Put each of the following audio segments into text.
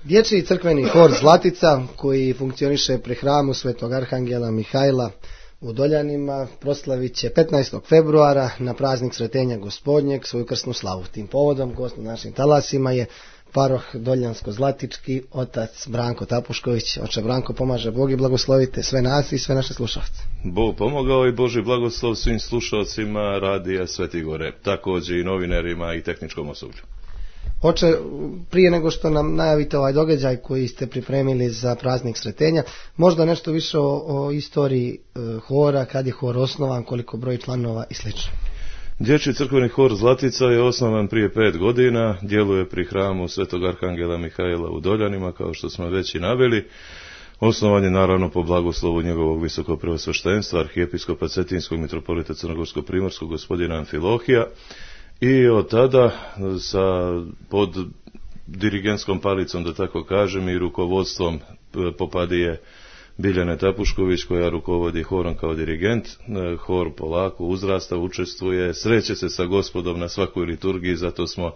Dječji crkveni hor Zlatica, koji funkcioniše pri hramu Svetog Arhangela Mihajla u Doljanima, proslavit će 15. februara na praznik Sretenja Gospodnjeg svoju krsnu slavu. Tim povodom gost na našim talasima je paroh Doljansko-Zlatički, otac Branko Tapušković. Oče Branko, pomaže Bog i blagoslovite sve nas i sve naše slušalce. Bog pomogao i Boži blagoslov svim slušalcima Radija Sveti Gore, također i novinarima i tehničkom osoblju. Oče, prije nego što nam najavite ovaj događaj koji ste pripremili za praznik Sretenja, možda nešto više o istoriji hora, kad je hor osnovan, koliko broj članova i sl. Dječji crkveni hor Zlatica je osnovan prije 5 godina, djeluje pri hramu Svetog Arhangela Mihajla u Doljanima, kao što smo već i naveli. Osnovan je naravno po blagoslovu njegovog visokog preosveštenstva, arhijepiskopa Cetinskog mitropolita Crnogorsko-primorskog gospodina Amfilohija. I od tada pod dirigentskom palicom, da tako kažem, i rukovodstvom popadije Biljane Tapušković, koja rukovodi horom kao dirigent, hor polako uzrasta, učestvuje, sreće se sa Gospodom na svakoj liturgiji, zato smo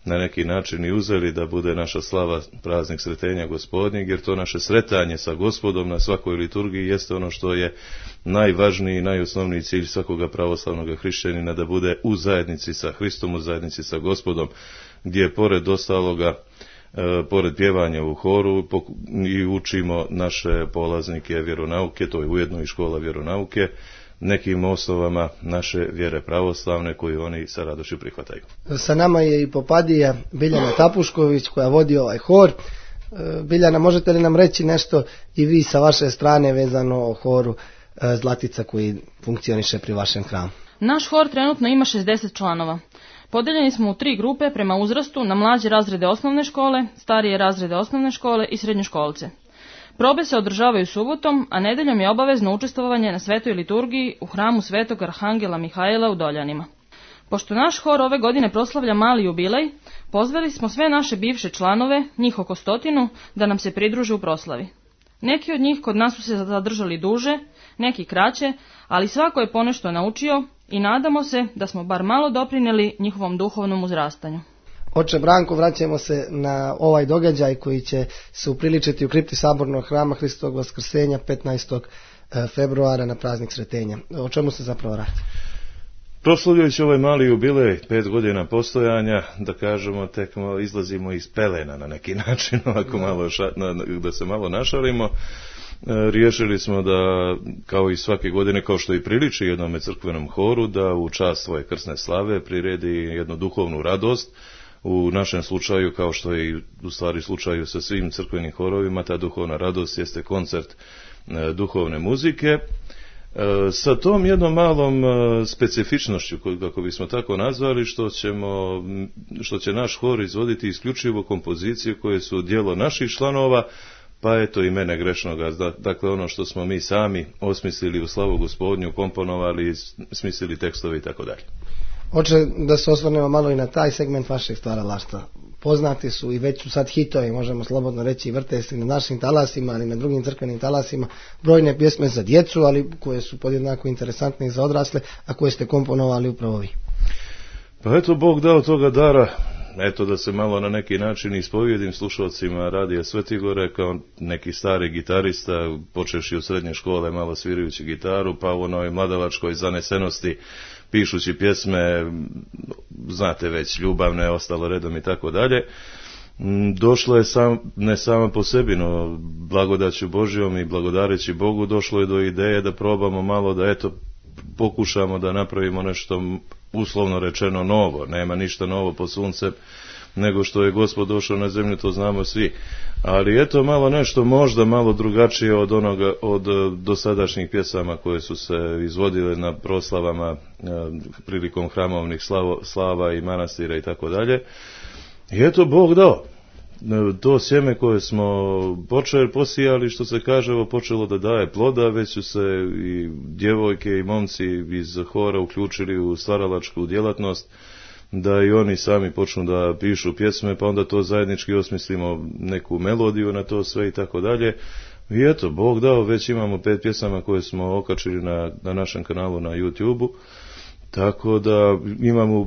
na neki način i uzeli da bude naša slava praznik Sretenja Gospodnjeg, jer to naše sretanje sa Gospodom na svakoj liturgiji jeste ono što je najvažniji i najosnovniji cilj svakoga pravoslavnog hrišćanina, da bude u zajednici sa Hristom, u zajednici sa Gospodom, gdje pored ostaloga, pored pjevanja u horu i učimo naše polaznike vjeronauke, to je ujedno i škola vjeronauke, nekim osnovama naše vjere pravoslavne koju oni sa radošću prihvataju. Sa nama je i popadija Biljana Tapušković koja vodi ovaj hor. Biljana, možete li nam reći nešto i vi sa vaše strane vezano o horu Zlatica koji funkcioniše pri vašem hramu? Naš hor trenutno ima 60 članova. Podeljeni smo u 3 grupe prema uzrastu na mlađe razrede osnovne škole, starije razrede osnovne škole i srednjoškolce. Probe se održavaju subotom, a nedeljom je obavezno učestvovanje na svetoj liturgiji u hramu Svetog Arhangela Mihajla u Doljanima. Pošto naš hor ove godine proslavlja mali jubilej, pozvali smo sve naše bivše članove, njih oko 100, da nam se pridruže u proslavi. Neki od njih kod nas su se zadržali duže, neki kraće, ali svako je ponešto naučio i nadamo se da smo bar malo doprinijeli njihovom duhovnom uzrastanju. Oče Branko, vraćamo se na ovaj događaj koji će se upriličiti u kripti Sabornog hrama Hristovog Vaskrsenja 15. februara na praznik Sretenja. O čemu se zapravo radi? Proslavljajući ovaj mali jubilej, 5 godina postojanja, da kažemo, tek izlazimo iz pelena na neki način, ovako malo da se malo našalimo. Riješili smo da, kao i svake godine, kao što i priliči jednome crkvenom horu, da u čast svoje krsne slave priredi jednu duhovnu radost. U našem slučaju, kao što je i u stvari slučaju sa svim crkvenim horovima, ta duhovna radost jeste koncert duhovne muzike. Sa tom jednom malom specifičnošću, kako bismo tako nazvali, što će naš hor izvoditi isključivo kompozicije koje su djelo naših članova, pa eto i mene grešnoga, dakle ono što smo mi sami osmislili u slavu Gospodnju, komponovali, smislili tekstove i tako dalje. Oče, da se osvrnemo malo i na taj segment vašeg stvaralaštva. Poznati su i već su sad hitovi, možemo slobodno reći, i vrte se na našim talasima, ali na drugim crkvenim talasima, brojne pjesme za djecu, ali koje su podjednako interesantne i za odrasle, a koje ste komponovali upravo vi. Pa eto, Bog dao toga dara, eto da se malo na neki način ispovijedim slušalcima Radija Sveti Gore, kao neki stari gitarista, počevši od srednje škole malo svirajući gitaru, pa u onoj mladalačkoj zanesenosti pišući pjesme, znate već, ljubavne, ostalo redom i tako dalje. Došlo je ne samo po sebi, no blagodaću Božjom i blagodareći Bogu došlo je do ideje da probamo malo da eto pokušamo da napravimo nešto uslovno rečeno novo. Nema ništa novo pod suncem nego što je Gospod došao na zemlju, to znamo svi. Ali eto malo nešto možda malo drugačije od dosadašnjih pjesama koje su se izvodile na proslavama prilikom hramovnih slava i manastira i tako dalje. I eto Bog dao. To sjeme koje smo posijali, što se kaže, počelo da daje ploda, već su se i djevojke i momci iz hora uključili u stvaralačku djelatnost, da i oni sami počnu da pišu pjesme, pa onda to zajednički osmislimo neku melodiju na to sve i tako dalje. I eto, Bog dao, već imamo 5 pjesama koje smo okačili na našem kanalu na YouTube-u, Tako da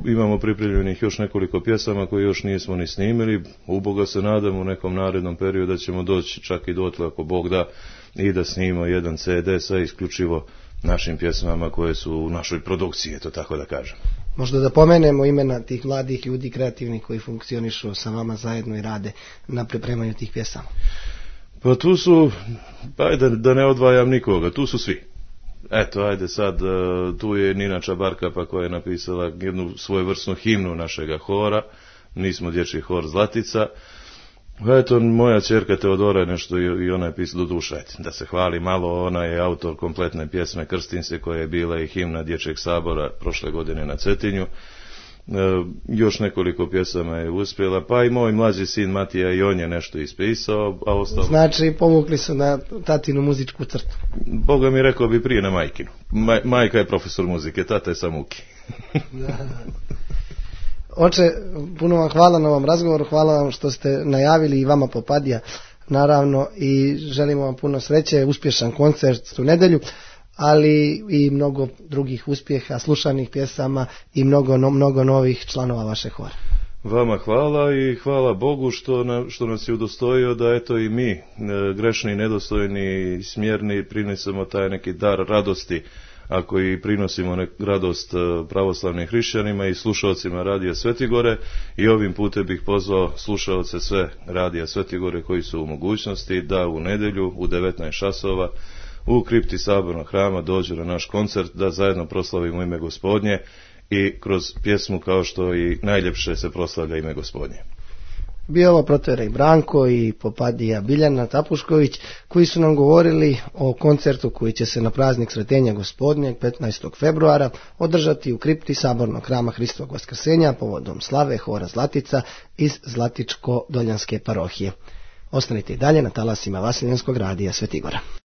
imamo pripremljenih još nekoliko pjesama koje još nismo ni snimili. Uboga se nadamo u nekom narednom periodu da ćemo doći čak i dotle, ako Bog da, i da snimimo jedan CD sa isključivo našim pjesmama koje su u našoj produkciji, to tako da kažem. Možda da pomenemo imena tih mladih ljudi kreativnih koji funkcionišu sa vama zajedno i rade na pripremanju tih pjesama. Pa tu su, ajde da ne odvajam nikoga, tu su svi. Eto, ajde sad, tu je Nina Čabarkapa koja je napisala jednu svojevrsnu himnu našega hora, nismo dječji hor Zlatica. Eto, moja ćerka Teodora je nešto i ona je pisala, do duša, da se hvali malo, ona je autor kompletne pjesme Krstim se, koja je bila i himna Dječjeg sabora prošle godine na Cetinju. Još nekoliko pjesama je uspjela, pa i moj mlađi sin Matija i on je nešto ispisao, a ostalo... Znači, povukli su na tatinu muzičku crtu. Boga mi rekao bi prije na majkinu. Majka je profesor muzike, tata je sam uki. Oče, puno vam hvala na ovom razgovoru, hvala vam što ste najavili i vama Popadija, naravno, i želimo vam puno sreće, uspješan koncert u nedjelju, ali i mnogo drugih uspjeha, slušanih pjesama i mnogo novih članova vaše hora. Vama hvala i hvala Bogu što nas je udostojio da eto i mi, grešni, nedostojni, smjerni, prinesemo taj neki dar radosti, ako i prinosimo radost pravoslavnim hrišćanima i slušalcima Radija Svetigore, i ovim putem bih pozvao slušalce sve Radija Svetigore koji su u mogućnosti da u nedjelju u 19 časova u kripti Sabornog hrama dođu na naš koncert, da zajedno proslavimo ime Gospodnje i kroz pjesmu kao što i najljepše se proslavlja ime Gospodnje. Bio ovo protoijerej Branko i Popadija Biljana Tapušković koji su nam govorili o koncertu koji će se na praznik Sretenja Gospodnjeg 15. februara održati u kripti Sabornog hrama Hristovog Vaskrsenja povodom slave hora Zlatica iz Zlatičko-Doljanske parohije. Ostanite i dalje na talasima Vaseljenskog radija Svetigora.